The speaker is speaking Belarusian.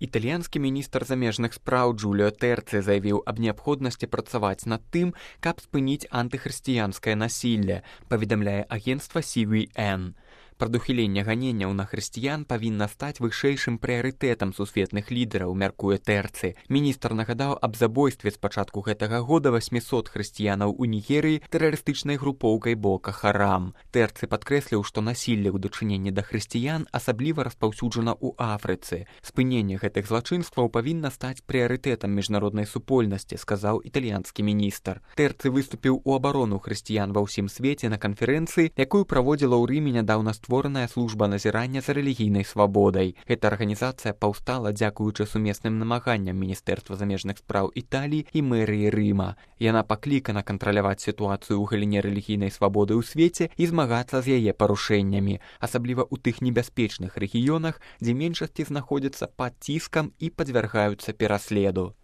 Італьянскі міністр замежных спраў Джуліо Тэрцы заявіў аб неабходнасці працаваць над тым, каб спыніць антыхрысціянскае насілле, паведамляе агенцтва CVN. Прадухіленне ганенняў на хрысціян павінна стаць вышэйшым прыярытэтам сусветных лідараў, мяркуе Тэрцы. Міністр нагадаў аб забойстве з пачатку гэтага года 800 хрысціянаў у Нігерыі тэрарыстычнай групоўкай Бока Харам. Тэрцы падкрэсліў, што насілле ў дачыненні да хрысціян асабліва распаўсюджана ў Афрыцы. Спыненне гэтых злачынстваў павінна стаць прыярытэтам міжнароднай супольнасці, сказаў італьянскі міністр. Тэрцы выступіў у абарону хрысціян ва ўсім свеце на канферэнцыі, якую праводзіла ў Рыме нядаўна створаная служба назірання за рэлігійнай свабодай. Гэта арганізацыя паўстала дзякуючы сумесным намаганням Міністэрства замежных спраў Італіі і мэрыі Рыма. Яна паклікана кантраляваць сітуацыю ў галіне рэлігійнай свабоды ў свеце і змагацца з яе парушэннямі, асабліва ў тых небяспечных рэгіёнах, дзе меншасці знаходзяцца пад ціскам і падвяргаюцца пераследу.